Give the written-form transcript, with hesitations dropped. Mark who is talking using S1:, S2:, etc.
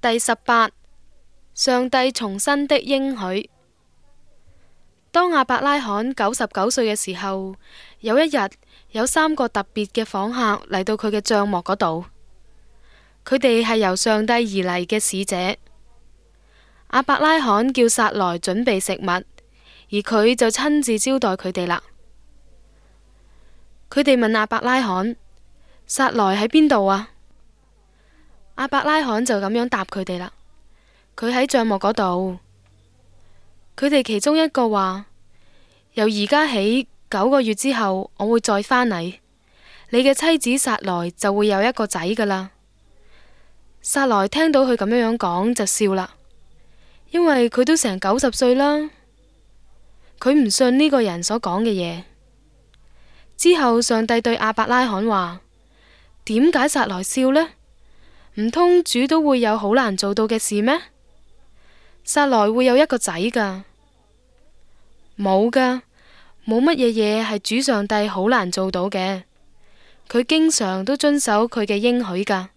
S1: 第18，上帝重申的應許。當亞伯拉罕99歲嘅時候，有一日有3個特別嘅訪客嚟到佢嘅帳幕嗰度，佢哋係由上帝而嚟嘅使者。亞伯拉罕叫撒萊準備食物，而佢就親自招待佢哋啦。佢哋問亞伯拉罕：撒萊喺邊度啊？亞伯拉罕就咁樣答佢哋啦。佢喺帳幕嗰度。佢哋其中一個話：由而家起9個月之後，我會再返嚟，你嘅妻子撒萊就會有一個仔噶啦。撒萊聽到佢咁樣講就笑啦，因為佢都成90歲啦。佢唔信呢個人所講嘅嘢。之後上帝對亞伯拉罕話：點解撒萊笑呢？唔通主都會有好難做到嘅事咩？撒萊會有一個仔噶？冇噶，冇乜嘢嘢係主上帝好難做到嘅。佢經常都遵守佢嘅應許噶。